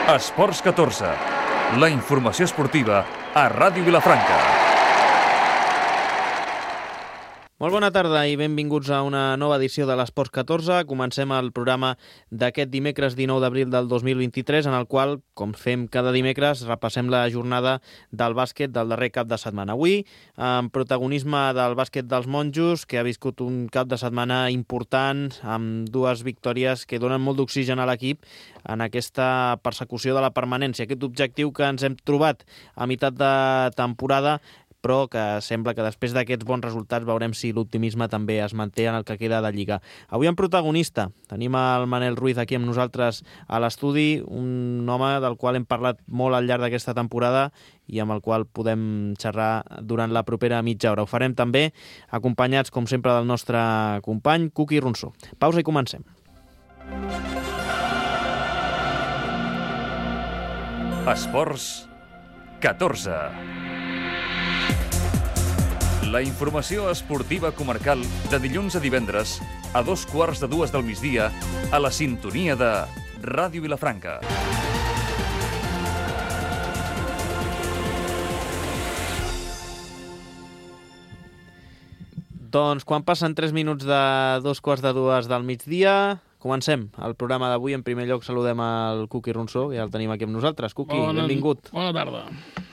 Esports 14, la informació esportiva a Ràdio Vilafranca. Molt bona tarda i benvinguts a una nova edició de l'Esports 14. Comencem el programa d'aquest dimecres 19 d'abril del 2023, en el qual, com fem cada dimecres, repassem la jornada del bàsquet del darrer cap de setmana. Avui, amb protagonisme del bàsquet dels monjos, que ha viscut un cap de setmana important, amb dues victòries que donen molt d'oxigen a l'equip en aquesta persecució de la permanència. Aquest objectiu que ens hem trobat a meitat de temporada, però que sembla que després d'aquests bons resultats veurem si l'optimisme també es manté en el que queda de Lliga. Avui en protagonista tenim el Manel Ruiz aquí amb nosaltres a l'estudi, un home del qual hem parlat molt al llarg d'aquesta temporada i amb el qual podem xerrar durant la propera mitja hora. Ho farem també acompanyats, com sempre, del nostre company Cuqui Ronsó. Pausa i comencem. Esports 14. La informació esportiva comarcal de dilluns a divendres a 2:15 del migdia a la sintonia de Ràdio Vilafranca. Doncs quan passen 3 minuts de 2:15 del migdia, comencem el programa d'avui. En primer lloc saludem al Cuqui Ronsó, que ja el tenim aquí amb nosaltres. Cuqui, benvingut. Bona tarda.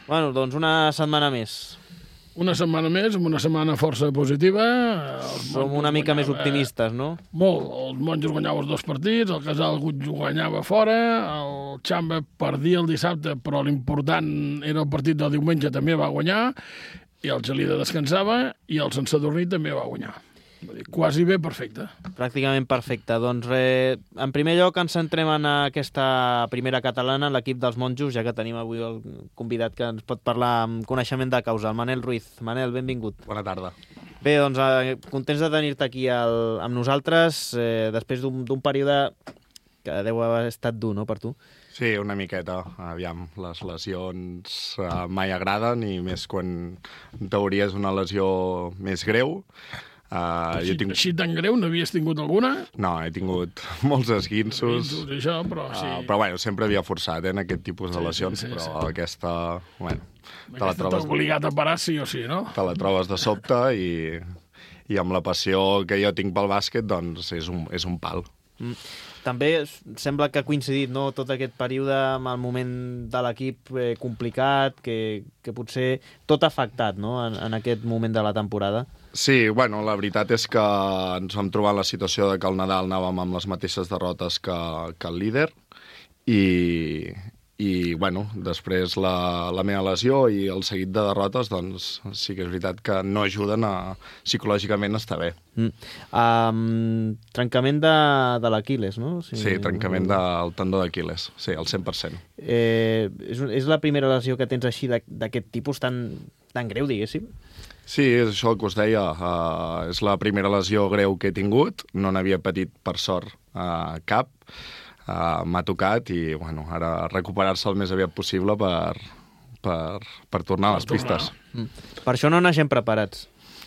Bueno, doncs una setmana més. Una setmana més, amb una setmana força positiva. Som una mica més optimistes, no? Molt. Els monjos guanyaven els 2 partits, el Casal guanyava fora, el Xamba perdia el dissabte, però l'important era el partit del diumenge, també va guanyar, i el Gelida descansava, i el Sant Sadurní també va guanyar. Quasi bé perfecte. Pràcticament perfecte. Doncs en primer lloc ens centrem en aquesta primera catalana, l'equip dels monjos, ja que tenim avui el convidat que ens pot parlar amb coneixement de causa, el Manel Ruiz. Manel, benvingut. Bona tarda. Bé, doncs contents de tenir-te aquí amb nosaltres, després d'un període que deu haver estat dur, no, per tu? Sí, una miqueta. Aviam, les lesions mai agraden, i més quan en teoria és una lesió més greu. Així tan greu, n'havies tingut alguna? No, he tingut molts esguinços. Això, però sí. Però bueno, sempre havia forçat en aquest tipus de lesions, sí. Aquesta, bueno, aquesta t'ha obligat a parar sí o sí, no? Te la trobes de sobte i amb la passió que jo tinc pel bàsquet, doncs és un pal. També sembla que ha coincidit, no?, tot aquest període amb el moment de l'equip complicat, que potser tot ha afectat, no?, en aquest moment de la temporada. Sí, bueno, la veritat és que ens vam trobar en la situació de que al Nadal anàvem amb les mateixes derrotes que el líder, i bueno, després la meva lesió i el seguit de derrotes, doncs sí que és veritat que no ajuden a psicològicament estar bé. Trencament de l'Aquil·les, no? Sí, trencament del tendó d'Aquil·les, sí, al 100%. És la primera lesió que tens així d'aquest tipus tan greu, diguéssim? Sí, és això que us deia. És la primera lesió greu que he tingut. No n'havia patit, per sort, cap. M'ha tocat i, bueno, ara recuperar-se el més aviat possible per tornar a les pistes. Per això no naixem preparats.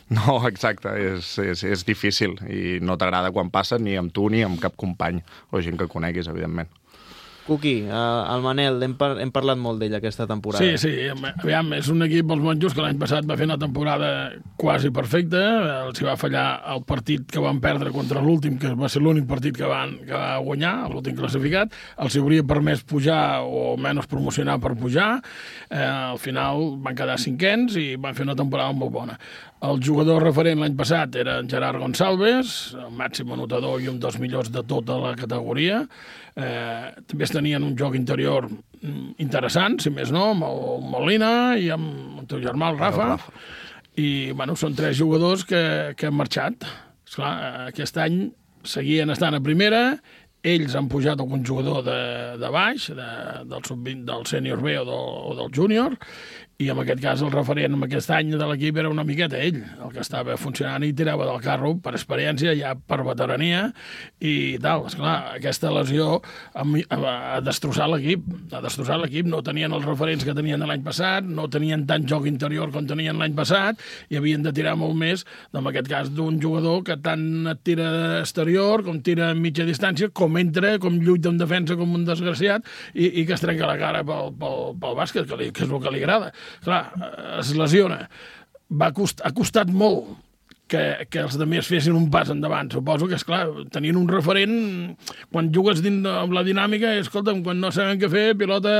No, exacte. És difícil i no t'agrada quan passa ni amb tu ni amb cap company o gent que coneguis, evidentment. Cuqui, el Manel, hem parlat molt d'ell aquesta temporada. Sí, aviam, és un equip, els monjos, que l'any passat va fer una temporada quasi perfecta, els va fallar el partit que van perdre contra l'últim, que va ser l'únic partit que va guanyar, l'últim classificat, els hauria permès pujar o menys promocionar per pujar, al final van quedar 5ens i van fer una temporada molt bona. El jugador referent l'any passat era en Gerard Gonçalves, el màxim anotador i un dels millors de tota la categoria. També tenien un joc interior interessant, si més no, amb el Molina i amb el teu germà, el Rafa. I, bueno, són 3 jugadors que han marxat. Esclar, aquest any seguien estant a primera, ells han pujat algun jugador de baix, del sub-20, del sènior B o del júnior, i en aquest cas el referent en aquest any de l'equip era una miqueta ell, el que estava funcionant i tirava del carro per experiència, ja per veterania i tal. Esclar, aquesta lesió ha destrossat l'equip, no tenien els referents que tenien l'any passat, no tenien tant joc interior com tenien l'any passat i havien de tirar molt més, en aquest cas, d'un jugador que tant et tira exterior, com tira a mitja distància, com entra, com lluita en defensa com un desgraciat i que es trenca la cara pel bàsquet, que és el que li agrada. Clar, es lesiona. Ha costat molt que els altres fessin un pas endavant. Suposo que, esclar, tenien un referent... Quan jugues amb la dinàmica, escolta'm, quan no saben què fer, pilota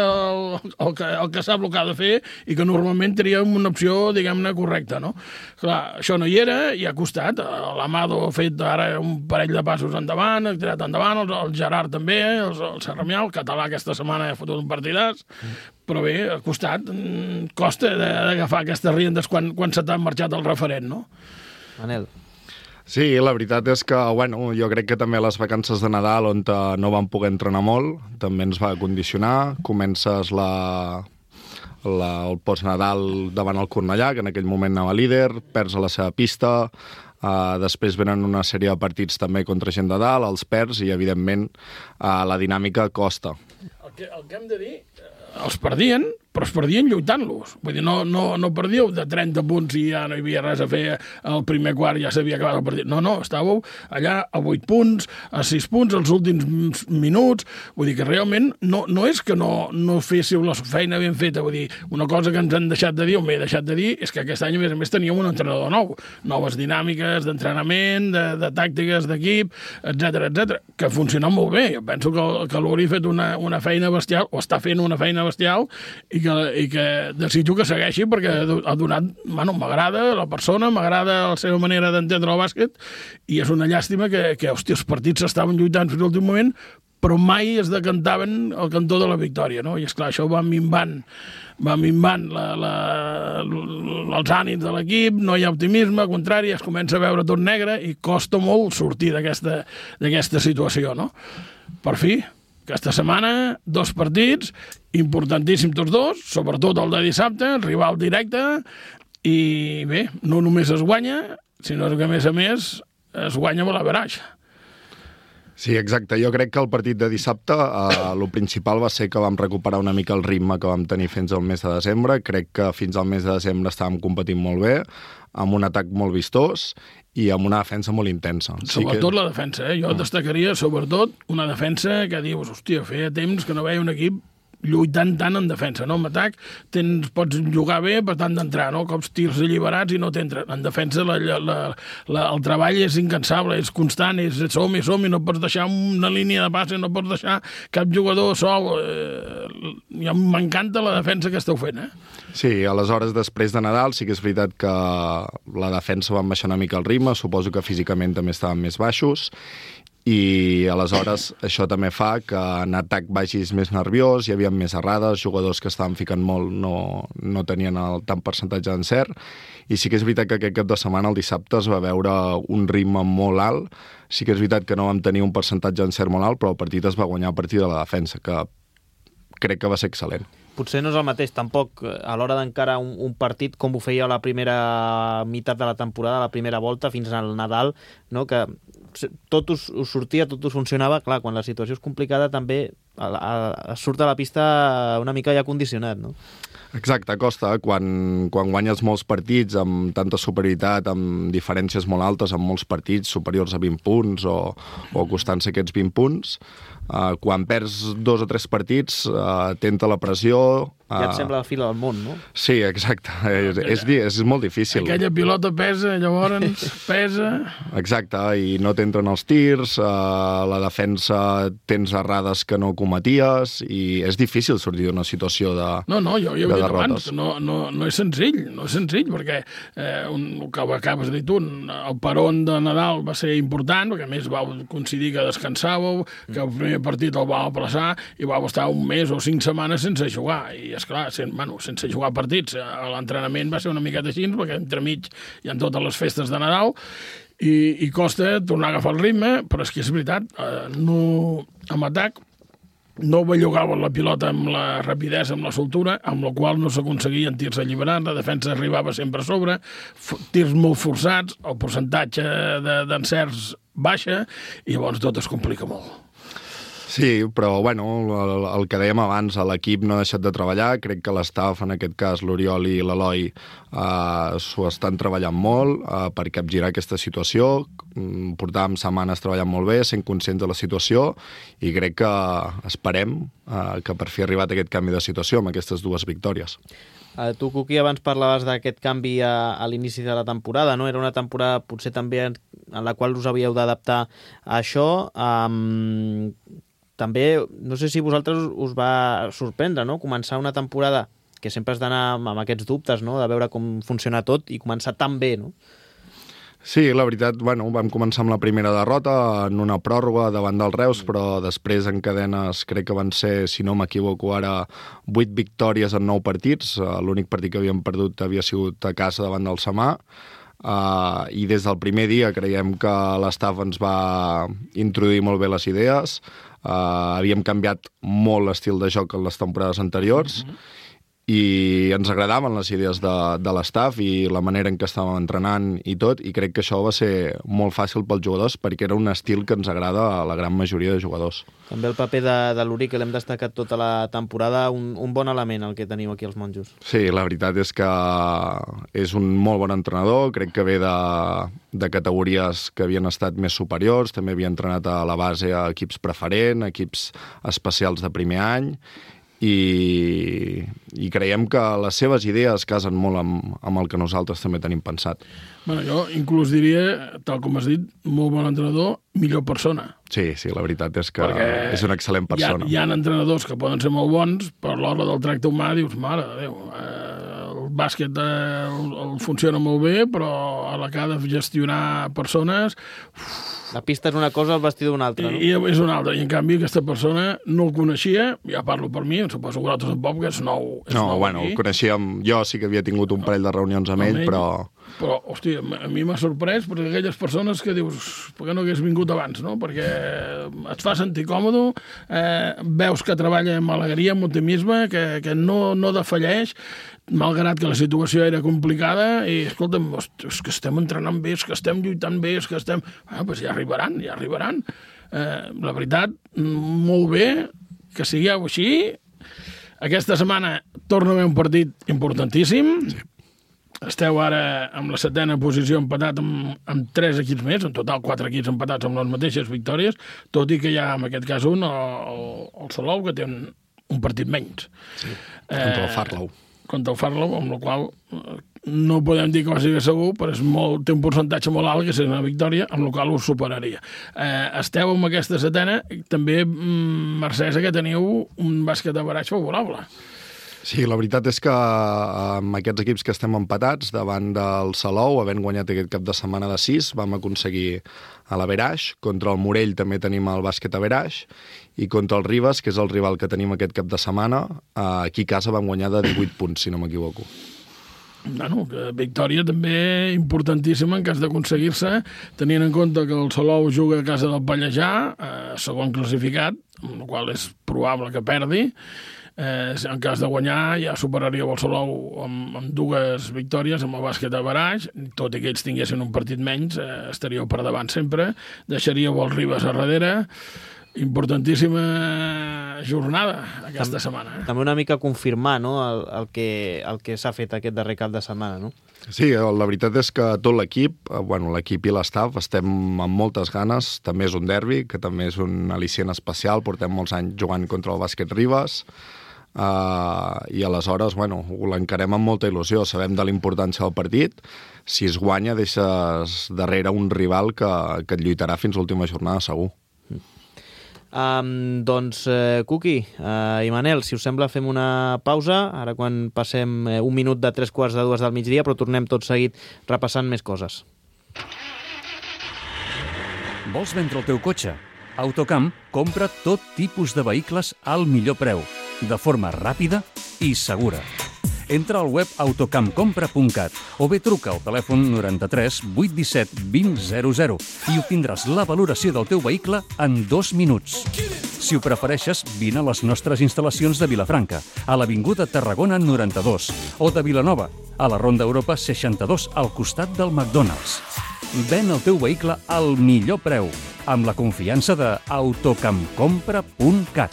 el que sap el que ha de fer i que normalment tria una opció, diguem-ne, correcta, no? Clar, això no hi era i ha costat. L'Amado ha fet ara un parell de passos endavant, ha tirat endavant, el Gerard també, el Serramià, el català aquesta setmana ha fotut un partidàs, però bé, ha costat. Costa d'agafar aquestes riendes quan se t'ha marxat el referent, no? Manel. Sí, la veritat és que, bueno, jo crec que també les vacances de Nadal, on no vam poder entrenar molt, també ens va condicionar. Comences el post-Nadal davant el Cornellà, que en aquell moment anava líder, perds a la seva pista, després venen una sèrie de partits també contra gent de dalt, els perds, i evidentment la dinàmica costa. El que hem de dir, els perdien, però es perdien lluitant-los. Vull dir, no perdíeu de 30 punts i ja no hi havia res a fer, el primer quart ja s'havia acabat el partit. No, estàveu allà a 8 punts, a 6 punts, els últims minuts. Vull dir que realment no és que no féssiu la feina ben feta. Vull dir, una cosa que ens han deixat de dir, o m'he deixat de dir, és que aquest any, a més, teníem un entrenador nou. Noves dinàmiques d'entrenament, de tàctiques d'equip, etc, que funcionen molt bé. Jo penso que l'Uri ha fet una feina bestial, o està fent una feina bestial, i que desitjo que segueixi perquè ha donat... Bueno, m'agrada la persona, m'agrada la seva manera d'entendre el bàsquet i és una llàstima que hòstia, els partits s'estaven lluitant fins a l'últim moment però mai es decantaven el cantó de la victòria, no? I esclar, això va minvant els ànims de l'equip, no hi ha optimisme, al contrari, es comença a veure tot negre i costa molt sortir d'aquesta situació, no? Per fi, aquesta setmana, 2 partits, importantíssims tots dos, sobretot el de dissabte, rival directe, i bé, no només es guanya, sinó que a més es guanya amb l'average. Sí, exacte. Jo crec que el partit de dissabte el principal va ser que vam recuperar una mica el ritme que vam tenir fins al mes de desembre. Crec que fins al mes de desembre estàvem competint molt bé, amb un atac molt vistós i amb una defensa molt intensa. Sobretot la defensa, eh? Jo destacaria sobretot una defensa que dius, hòstia, feia temps que no veia un equip lluitant tant en defensa, no? En atac pots jugar bé per tant d'entrar, no? Cops tirs alliberats i no t'entren. En defensa el treball és incansable, és constant, és som-hi, no pots deixar una línia de passe, no pots deixar cap jugador sol. M'encanta la defensa que esteu fent, eh? Sí, aleshores, després de Nadal, sí que és veritat que la defensa va baixar una mica el ritme, suposo que físicament també estaven més baixos, i aleshores això també fa que en atac vagis més nerviós, hi havia més errades, jugadors que estaven ficant molt no tenien tant percentatge d'encert, i sí que és veritat que aquest cap de setmana, el dissabte, es va veure un ritme molt alt. Sí que és veritat que no vam tenir un percentatge d'encert molt alt, però el partit es va guanyar a partir de la defensa, que crec que va ser excel·lent. Potser no és el mateix, tampoc, a l'hora d'encarar un partit com ho feia la primera meitat de la temporada, la primera volta, fins al Nadal, no? Que tot us sortia, tot us funcionava. Clar, quan la situació és complicada també surt a la pista una mica ja condicionat, no? Exacte, costa. Quan guanyes molts partits amb tanta superioritat, amb diferències molt altes, amb molts partits superiors a 20 punts o costant-se aquests 20 punts, quan perds 2 o 3 partits, tenta la pressió... Ja et sembla la fila del món, no? Sí, exacte. És molt difícil. Aquella pilota pesa, llavors pesa... Exacte, i no t'entren els tirs, la defensa tens errades que no cometies, i és difícil sortir d'una situació de derrotes. No, jo he dit abans, no és senzill, perquè el que acabes de dir tu, el peron de Nadal va ser important, perquè a més vau coincidir que descansàveu, que el primer partit el vau aplaçar i vau estar un mes o 5 setmanes sense jugar, i esclar, sense jugar partits. L'entrenament va ser una miqueta així, perquè entremig hi ha totes les festes de Nadal, i costa tornar a agafar el ritme, però és que és veritat, amb atac no bellugaven la pilota amb la rapidesa, amb la soltura, amb la qual no s'aconseguien tirs alliberats, la defensa arribava sempre a sobre, tirs molt forçats, el percentatge d'encerts baixa, i llavors tot es complica molt. Sí, però bueno, el que dèiem abans, l'equip no ha deixat de treballar, crec que l'estaf, en aquest cas l'Oriol i l'Eloi, s'ho estan treballant molt per capgirar aquesta situació. Portàvem setmanes treballant molt bé, sent conscients de la situació, i crec que esperem que per fi ha arribat aquest canvi de situació amb aquestes 2 victòries. Tu, Cuqui, abans parlaves d'aquest canvi a l'inici de la temporada, no? Era una temporada potser també en la qual us havíeu d'adaptar a això. També, no sé si vosaltres us va sorprendre, no? Començar una temporada que sempre has d'anar amb aquests dubtes, no? De veure com funciona tot i començar tan bé, no? Sí, la veritat, bueno, vam començar amb la primera derrota en una pròrroga davant del Reus, però després en cadenes crec que van ser, si no m'equivoco ara, 8 victòries en 9 partits. L'únic partit que havíem perdut havia sigut a casa davant del Samà. I des del primer dia creiem que l'estaf ens va introduir molt bé les idees. Havíem canviat molt l'estil de joc en les temporades anteriors, i ens agradaven les idees de l'estaf i la manera en què estàvem entrenant i tot, i crec que això va ser molt fàcil pels jugadors perquè era un estil que ens agrada a la gran majoria de jugadors. També el paper de l'Uri, que l'hem destacat tota la temporada, un bon element el que tenim aquí als Monjos. Sí, la veritat és que és un molt bon entrenador, crec que ve de categories que havien estat més superiors, també havia entrenat a la base a equips preferent, equips especials de primer any, i creiem que les seves idees casen molt amb el que nosaltres també tenim pensat. Bueno, jo inclús diria, tal com has dit, molt bon entrenador, millor persona. Sí, la veritat és que és una excel·lent persona. Hi ha entrenadors que poden ser molt bons, però a l'hora del tracte humà dius, mare de Déu, el bàsquet el funciona molt bé, però a la que ha de gestionar persones... La pista és una cosa, el vestidor una altra, no? I és una altra, i en canvi aquesta persona no el coneixia, ja parlo per mi, suposo que vosaltres tampoc, que és nou. Bueno, el coneixíem, jo sí que havia tingut un parell de reunions amb ell, però... Però, hòstia, a mi m'ha sorprès perquè aquelles persones que dius, per què no hagués vingut abans, no? Perquè et fa sentir còmode, veus que treballa amb alegria, amb optimisme, que no defalleix, malgrat que la situació era complicada, i, escolta'm, és que estem entrenant bé, és que estem lluitant bé, és que estem... Doncs ja arribaran. La veritat, molt bé, que sigueu així. Aquesta setmana torna a haver un partit importantíssim. Sí. Esteu ara amb la 7ª posició empatat amb 3 equips més, en total 4 equips empatats amb les mateixes victòries, tot i que hi ha, en aquest cas, el Salou, que té un partit menys. Sí, contra el Farlow. Contra el Farlow, amb la qual no podem dir que va ser segur, però té un percentatge molt alt, que és una victòria, amb la qual us superaria. Esteu amb aquesta 7ª, també, mercès que teniu un bàsquet average favorable. Sí, la veritat és que amb aquests equips que estem empatats davant del Salou, havent guanyat aquest cap de setmana de 6, vam aconseguir a l'Averaix. Contra el Morell també tenim el bàsquet Averaix, i contra el Ribes, que és el rival que tenim aquest cap de setmana, aquí a casa vam guanyar de 18 punts, si no m'equivoco. Bueno, victòria també importantíssima en cas d'aconseguir-se, tenint en compte que el Salou juga a casa del Pallejà, segon classificat, amb la qual és probable que perdi. En cas de guanyar ja superaria el Salou amb 2 victòries amb el bàsquet Averaix, tot i que ells tinguessin un partit menys, estaríeu per davant sempre, deixaríeu el Ribes a darrere. Importantíssima jornada aquesta setmana. També una mica confirmar, no?, el que s'ha fet aquest darrer cap de setmana, no? Sí, la veritat és que tot l'equip, l'equip i l'estaf, estem amb moltes ganes. També és un derbi, que també és un al·licient especial. Portem molts anys jugant contra el bàsquet Ribes, i aleshores, ho l'encarem amb molta il·lusió. Sabem de la importància del partit. Si es guanya, deixes darrere un rival que et lluitarà fins a l'última jornada, segur. Doncs, Cuqui i Manel, si us sembla, fem una pausa, ara quan passem un minut de 3:45 del migdia, però tornem tot seguit repassant més coses. Vols vendre el teu cotxe? Autocamp compra tot tipus de vehicles al millor preu, de forma ràpida i segura. Entra al web autocampcompra.cat o bé truca al telèfon 93 817 2000 i obtindràs la valoració del teu vehicle en 2 minuts. Si ho prefereixes, vine a les nostres instal·lacions de Vilafranca, a l'Avinguda Tarragona 92, o de Vilanova, a la Ronda Europa 62, al costat del McDonald's. Ven el teu vehicle al millor preu, amb la confiança de autocampcompra.cat.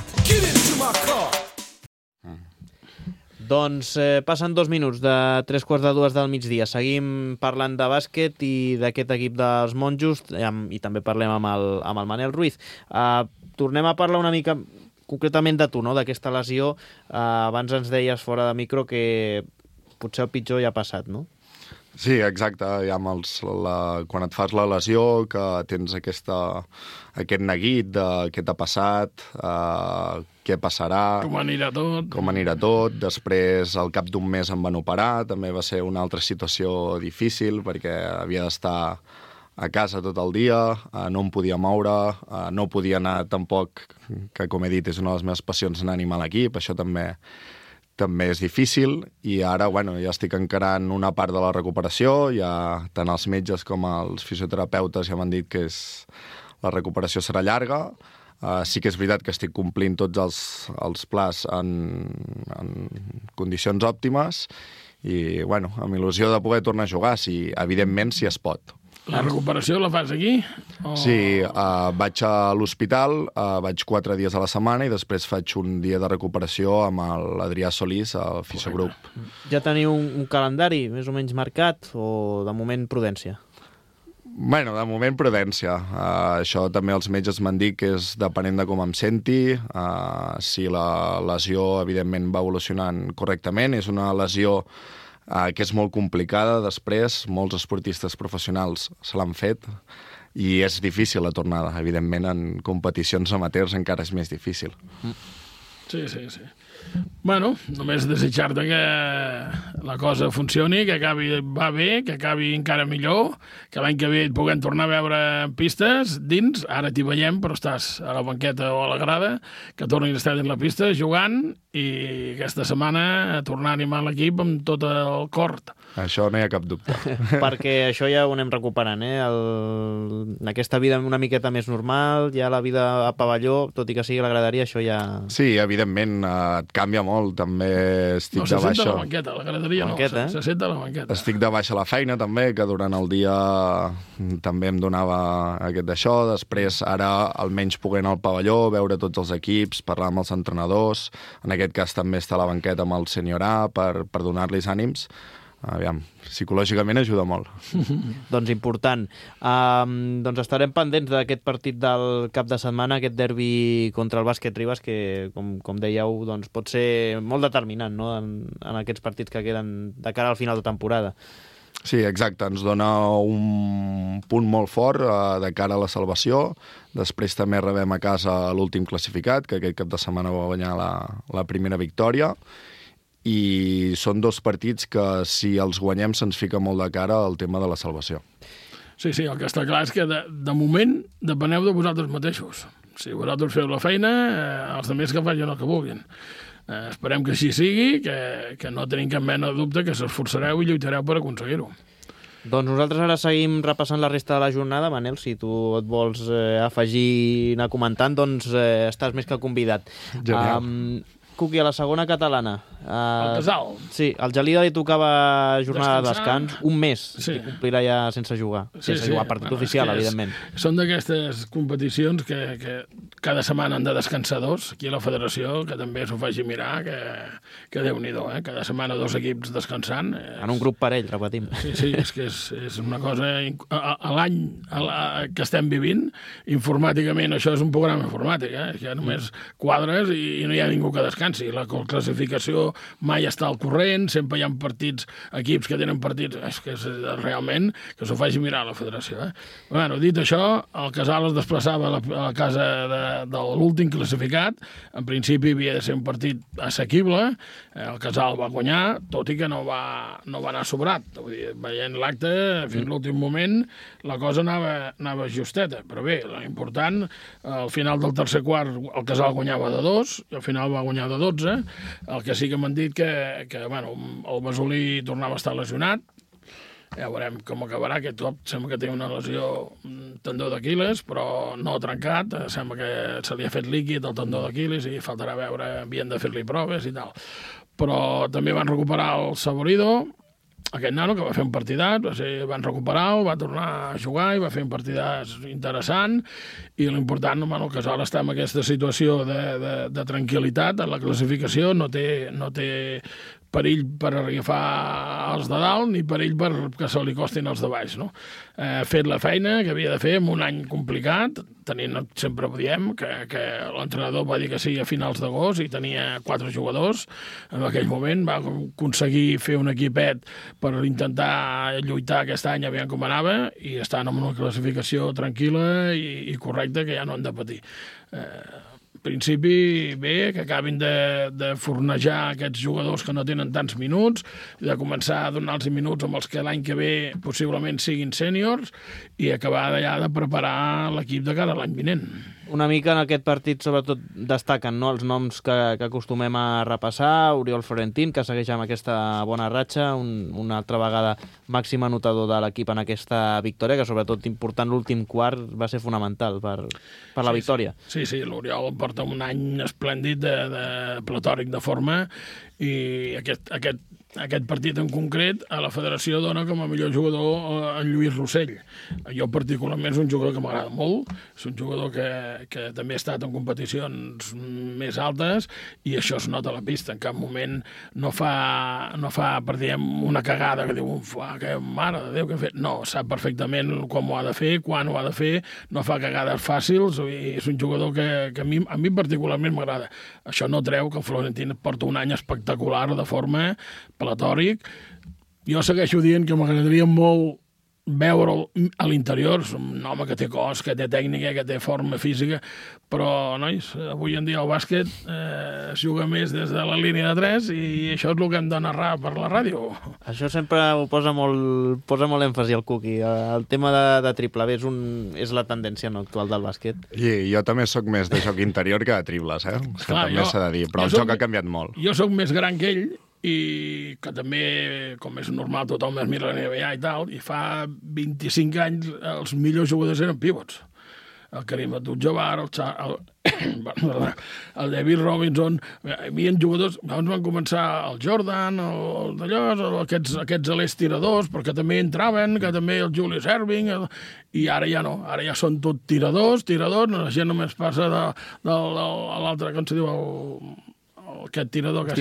Doncs passen 2 minuts de 3:45 del migdia. Seguim parlant de bàsquet i d'aquest equip dels monjos i també parlem amb el Manel Ruiz. Tornem a parlar una mica concretament de tu, no? D'aquesta lesió. Abans ens deies fora de micro que potser el pitjor ja ha passat, no? Sí, exacte. Ja quan et fas la lesió, que tens aquest neguit de què t'ha passat, què passarà... Com anirà tot. Després, al cap d'un mes em van operar. També va ser una altra situació difícil perquè havia d'estar a casa tot el dia, no em podia moure, no podia anar tampoc, que com he dit és una de les meves passions, anar a animar l'equip. Això també és difícil i ara ja estic encarant una part de la recuperació, ja tant els metges com els fisioterapeutes ja m'han dit que la recuperació serà llarga. Sí que és veritat que estic complint tots els plans en condicions òptimes i amb il·lusió de poder tornar a jugar, evidentment si es pot. La recuperació la fas aquí? Sí, vaig a l'hospital, vaig 4 dies a la setmana i després faig un dia de recuperació amb l'Adrià Solís, al fisiogrup. Ja teniu un calendari més o menys marcat o de moment prudència? Bueno, de moment prudència. Això també els metges m'han dit que és depenent de com em senti. Si la lesió, evidentment, va evolucionant correctament. És una lesió que és molt complicada després, molts esportistes professionals se l'han fet i és difícil la tornada. Evidentment, en competicions amateurs encara és més difícil. Sí. Bueno, només desitjar-te que la cosa funcioni, que va bé, que acabi encara millor, que l'any que ve et puguem tornar a veure en pistes, dins, ara t'hi veiem, però estàs a la banqueta o a la grada, que tornis a estar dins la pista jugant i aquesta setmana a tornar a animar l'equip amb tot el cor. Això no hi ha cap dubte. Perquè això ja ho anem recuperant, aquesta vida una miqueta més normal, ja la vida a pavelló, tot i que sigui a la graderia, això ja... Sí, evidentment, et canvia molt, també estic de baixa... No, se senta a la banqueta, la graderia no, se senta a la banqueta. Estic de baixa a la feina també, que durant el dia també em donava aquest d'això, després ara almenys poder anar al pavelló, veure tots els equips, parlar amb els entrenadors, en aquest cas també estar a la banqueta amb el senyor A per donar-los ànims. Aviam, psicològicament ajuda molt. Doncs important. Doncs estarem pendents d'aquest partit del cap de setmana, aquest derbi contra el Bàsquet Ribes, que, com dèieu, doncs pot ser molt determinant, no?, en aquests partits que queden de cara al final de temporada. Sí, exacte. Ens dona un punt molt fort de cara a la salvació. Després també rebem a casa l'últim classificat, que aquest cap de setmana va guanyar la primera victòria. I són 2 partits que, si els guanyem, se'ns fica molt de cara al tema de la salvació. Sí, el que està clar és que de moment depeneu de vosaltres mateixos. Si vosaltres feu la feina, els altres que facin el que vulguin. Esperem que així sigui, que no tenim cap mena de dubte, que s'esforçareu i lluitareu per aconseguir-ho. Doncs nosaltres ara seguim repassant la resta de la jornada. Manel, si tu et vols afegir i anar comentant, doncs estàs més que convidat. Genial. Cuqui, a la segona catalana. El Casal. Sí, al Gelida li tocava jornada de descans, un mes, sí. I complirà ja sense jugar. Sense jugar partit oficial, evidentment. Són d'aquestes competicions que cada setmana han de descansar 2, aquí a la federació, que també s'ho faci mirar, que Déu-n'hi-do, cada setmana 2 equips descansant. En un grup parell, repetim. Sí, és que és una cosa... A l'any que estem vivint, informàticament, això és un programa informàtic, que només quadres i no hi ha ningú que descansi. La classificació mai està al corrent, sempre hi ha partits, equips que tenen partits, és que és realment que s'ho faci mirar a la federació. Bueno, dit això, el Casal es desplaçava a la casa de l'últim classificat. En principi havia de ser un partit assequible. El Casal va guanyar, tot i que no va anar sobrat. Vull dir, veient l'acte, fins a l'últim moment, la cosa anava justeta. Però bé, l'important, al final del tercer quart, el Casal guanyava de 2, i al final va guanyar de 12. El que sí que m'han dit que el Besolí tornava a estar lesionat, Ja veurem com acabarà. Aquest cop sembla que té una lesió tendó d'Aquiles, però no trencat. Sembla que se li ha fet líquid el tendó d'Aquiles i faltarà veure, havien de fer-li proves i tal. Però també van recuperar el Saborido, aquest nano que va fer un partidat, van recuperar-ho, va tornar a jugar i va fer un partidat interessant, i l'important, el Casal està en aquesta situació de tranquil·litat en la classificació, no té perill per agafar els de dalt ni perill perquè se li costin els de baix, no? Ha fet la feina que havia de fer en un any complicat, tenint, sempre ho diem, que l'entrenador va dir que sí a finals d'agost i tenia 4 jugadors. En aquell moment va aconseguir fer un equipet per intentar lluitar aquest any, aviam com anava, i estan en una classificació tranquil·la i correcta, que ja no han de patir. Principi, bé, que acabin de fornejar aquests jugadors que no tenen tants minuts, de començar a donar-los minuts amb els que l'any que ve possiblement siguin sèniors i acabar d'allà de preparar l'equip de cara a l'any vinent. Una mica en aquest partit, sobretot, destaquen, no?, els noms que acostumem a repassar. Oriol Florentín, que segueix amb aquesta bona ratxa, una altra vegada màxim anotador de l'equip en aquesta victòria, que sobretot important l'últim quart va ser fonamental per la victòria. Sí, l'Oriol porta un any esplèndid de platòric de forma, i aquest partit en concret a la federació dona com a millor jugador en Lluís Rossell. Jo particularment és un jugador que m'agrada molt, és un jugador que també ha estat en competicions més altes i això es nota a la pista. En cap moment no fa per dir, una cagada que diu, que mare de Déu que ha fet. No, sap perfectament com ho ha de fer, quan ho ha de fer, no fa cagades fàcils, i és un jugador que a mi particularment m'agrada. Això no treu que Florentín porta un any espectacular de forma, platòric. Jo segueixo dient que m'agradaria molt veure'l a l'interior. És un home que té cos, que té tècnica, que té forma física, però, nois, avui en dia el bàsquet es juga més des de la línia de 3 i això és el que hem de narrar per la ràdio. Això sempre ho posa molt èmfasi al Cuqui. El tema de triple B és la tendència actual del bàsquet. I jo també sóc més de joc interior que de triples, Clar, també s'ha de dir, però el joc ha canviat molt. Jo sóc més gran que ell, i que també, com és normal, tothom es mira la NBA i tal, i fa 25 anys els millors jugadors eren pivots. El Karim Abdul-Jabbar, el David Robinson, hi havia jugadors, abans van començar el Jordan, aquests alers tiradors, perquè també entraven, que també el Julius Erving, i ara ja no, ara ja són tot tiradors, la gent només passa de l'altre, com se diu, aquest tirador que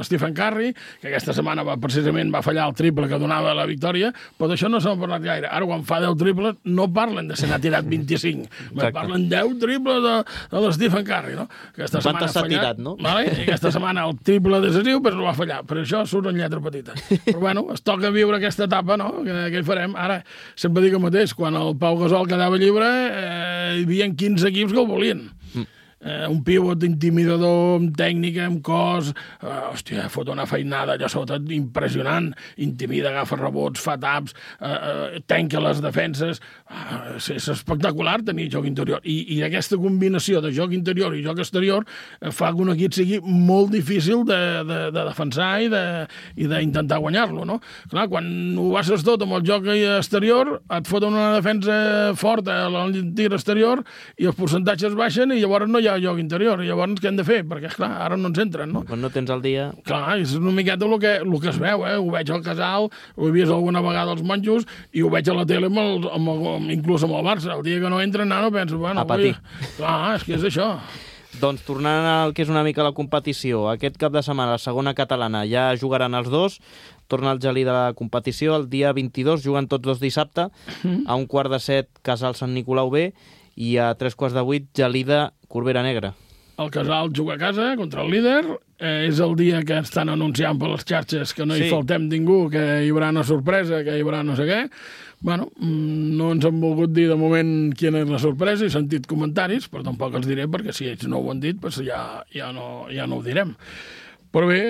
Stephen Curry, que aquesta setmana precisament va fallar el triple que donava la victòria, però d'això no s'ha parlat gaire. Ara, quan fa 10 triples, no parlen de se n'ha tirat 25, parlen 10 triples de l'Stephen Curry, no? Aquesta setmana ha fallat, no? Vale? I aquesta setmana el triple decisiu, però no va fallar. Per això surt en lletra petita. Però bueno, es toca viure aquesta etapa, no? Què hi farem? Ara, sempre dic el mateix, quan el Pau Gasol quedava lliure, hi havia 15 equips que el volien. Un pivot intimidador, amb tècnica, amb cos, fot una feinada allà sota impressionant, intimida, agafa rebots, fa taps, tanca les defenses, és espectacular tenir joc interior, i aquesta combinació de joc interior i joc exterior fa que un equip sigui molt difícil de defensar i d'intentar guanyar-lo, no? Clar, quan ho bases tot amb el joc exterior, et foten una defensa forta al tir exterior i els percentatges baixen i llavors no hi ha joc interior. I llavors què hem de fer? Perquè, esclar, ara no ens entren, no? Quan no tens el dia... Clar, és una miqueta el que es veu, Ho veig al Casal, ho he vist alguna vegada als monjos, i ho veig a la tele inclús amb el Barça. El dia que no entren, no penso, bueno... Clar, és que és això. Doncs tornant al que és una mica la competició, aquest cap de setmana, la segona catalana, ja jugaran els dos, torna el Gelí de la competició, el dia 22 juguen tots dos dissabte, a 7:15 Casal Sant Nicolau B, i a 7:45 Gelida Corbera Negra. El Casal juga a casa contra el líder, és el dia que estan anunciant per les xarxes que no hi faltem ningú, que hi haurà una sorpresa, que hi haurà no sé què. Bueno, no ens han volgut dir de moment quina és la sorpresa, he sentit comentaris, però tampoc els diré, perquè si ells no ho han dit, doncs ja no ho direm. Però bé,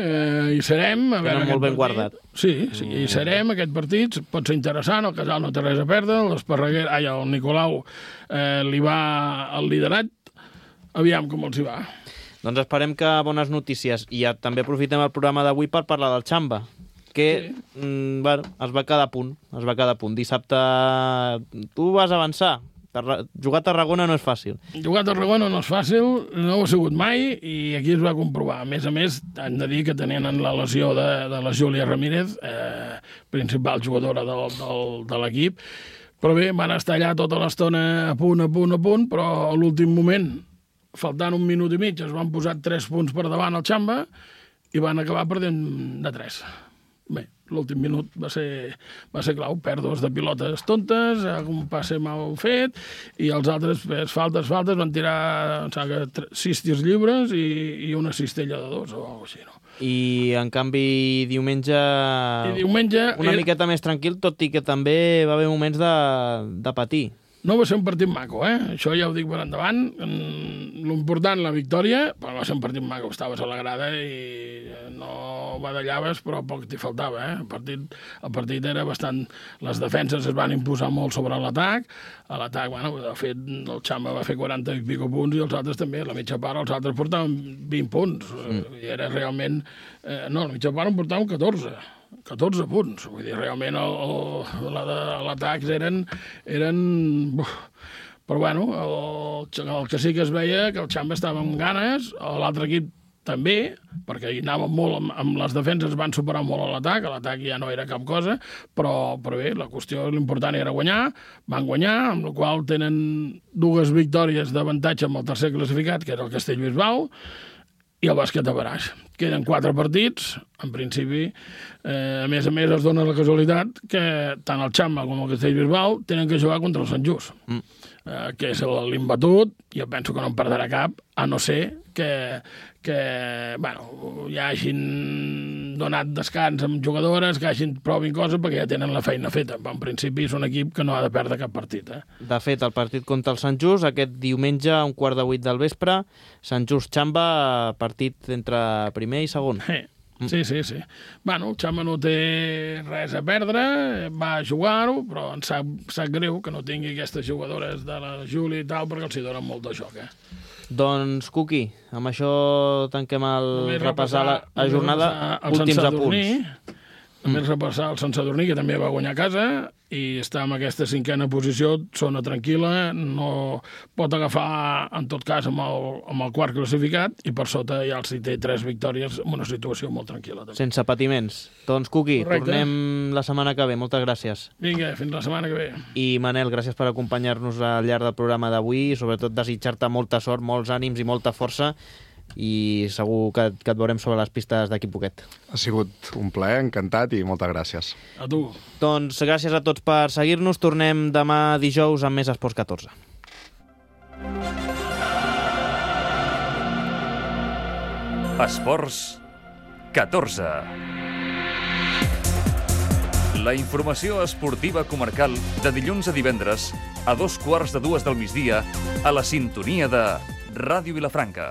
hi serem. Tenen molt ben guardat. Sí, hi serem, aquest partit pot ser interessant, el Casal no té res a perdre, el Nicolau li va al liderat, aviam com els hi va. Doncs esperem que bones notícies, i també aprofitem el programa d'avui per parlar del Xamba. que es va quedar a punt. Dissabte tu vas avançar. Jugar a Tarragona no és fàcil. Jugar a Tarragona no és fàcil, no ho ha sigut mai, i aquí es va comprovar. A més, hem de dir que tenien la lesió de la Júlia Ramírez, principal jugadora de l'equip, però bé, van estar allà tota l'estona a punt, però a l'últim moment, faltant un minut i mig, es van posar 3 punts per davant al Xamba i van acabar perdent de 3. Bé, l'últim minut va ser clau, pèrdues de pilotes tontes, un passe mal fet, i els altres faltes, van tirar 6 tirs lliures i una cistella de 2 o alguna cosa així, no? I, en canvi, diumenge una miqueta més tranquil, tot i que també va haver moments de patir. No va ser un partit maco, Això ja ho dic per endavant. L'important, la victòria, però va ser un partit maco. Estaves a la grada i no badallaves, però poc t'hi faltava, El partit era bastant... Les defenses es van imposar molt sobre l'atac. A l'atac, de fet, el Xamba va fer 40 i pico punts i els altres també. A la mitja part els altres portaven 20 punts. I era realment... No, a la mitja part en portaven 14 punts. Vull dir, realment l'atac eren... Però bueno, el que sí que es veia que el Xamba estava amb ganes, l'altre equip també, perquè hi anaven molt amb les defenses, van superar molt a l'atac ja no era cap cosa, però bé, la qüestió, l'important era guanyar, van guanyar, amb la qual tenen 2 victòries d'avantatge amb el tercer classificat, que era el Castellbisbal, i el bàsquet de Baraix. Queden 4 partits, en principi. A més es dona la casualitat que tant el Xamba com el Castellbisbal tenen que jugar contra el Sant Just, que és l'imbatut. Jo penso que no en perdrà cap, a no ser que hi hagin donat descans amb jugadores, que provin coses, perquè ja tenen la feina feta. En principi és un equip que no ha de perdre cap partit. De fet, el partit contra el Sant Just, aquest diumenge, a 7:15 del vespre, Sant Just-Xamba, partit entre primer i segon. Sí. El Xamba no té res a perdre, va a jugar-ho, però em sap greu que no tingui aquestes jugadores de la Júlia i tal, perquè els hi donen molt de joc, Doncs, Cuqui, amb això tanquem repassar la jornada, últims apunts. Només repassar el Sant Sadurní, que també va guanyar a casa, i està en aquesta 5a posició, zona tranquil·la, no pot agafar, en tot cas, amb el 4 classificat, i per sota ja els té 3 victòries, en una situació molt tranquil·la. També. Sense patiments. Doncs, Cuqui, tornem la setmana que ve. Moltes gràcies. Vinga, fins la setmana que ve. I, Manel, gràcies per acompanyar-nos al llarg del programa d'avui, i sobretot desitjar-te molta sort, molts ànims i molta força, i segur que et veurem sobre les pistes d'aquí poquet. Ha sigut un plaer, encantat, i moltes gràcies. A tu. Doncs gràcies a tots per seguir-nos. Tornem demà dijous amb més Esports 14. Esports 14. La informació esportiva comarcal de dilluns a divendres a 2:15 del migdia a la sintonia de Ràdio Vilafranca.